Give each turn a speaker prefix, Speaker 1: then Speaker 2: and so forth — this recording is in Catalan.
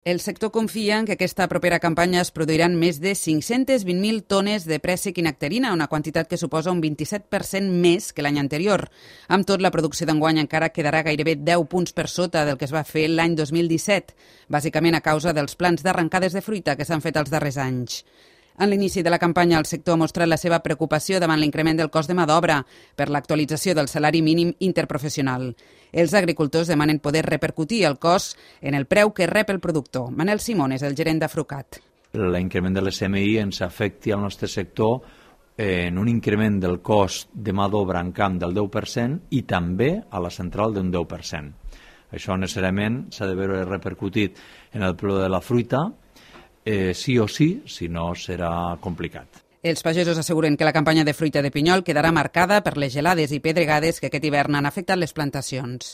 Speaker 1: El sector confia en que aquesta propera campanya es produiran més de 520.000 tones de préssec i nectarina, una quantitat que suposa un 27% més que l'any anterior. Amb tot, la producció d'enguany encara quedarà gairebé 10 punts per sota del que es va fer l'any 2017, bàsicament a causa dels plans d'arrencades de fruita que s'han fet els darrers anys. En l'inici de la campanya, el sector ha mostrat la seva preocupació davant l'increment del cost de mà d'obra per l'actualització del salari mínim interprofessional. Els agricultors demanen poder repercutir el cost en el preu que rep el productor. Manel Simón és el gerent d'Afrucat.
Speaker 2: L'increment de l'SMI ens afecti al nostre sector en un increment del cost de mà d'obra en camp del 10% i també a la central d'un 10%. Això necessàriament s'ha de veure repercutit en el preu de la fruita, sí o sí, si no serà complicat.
Speaker 1: Els pagesos asseguren que la campanya de fruita de pinyol quedarà marcada per les gelades i pedregades que aquest hivern han afectat les plantacions.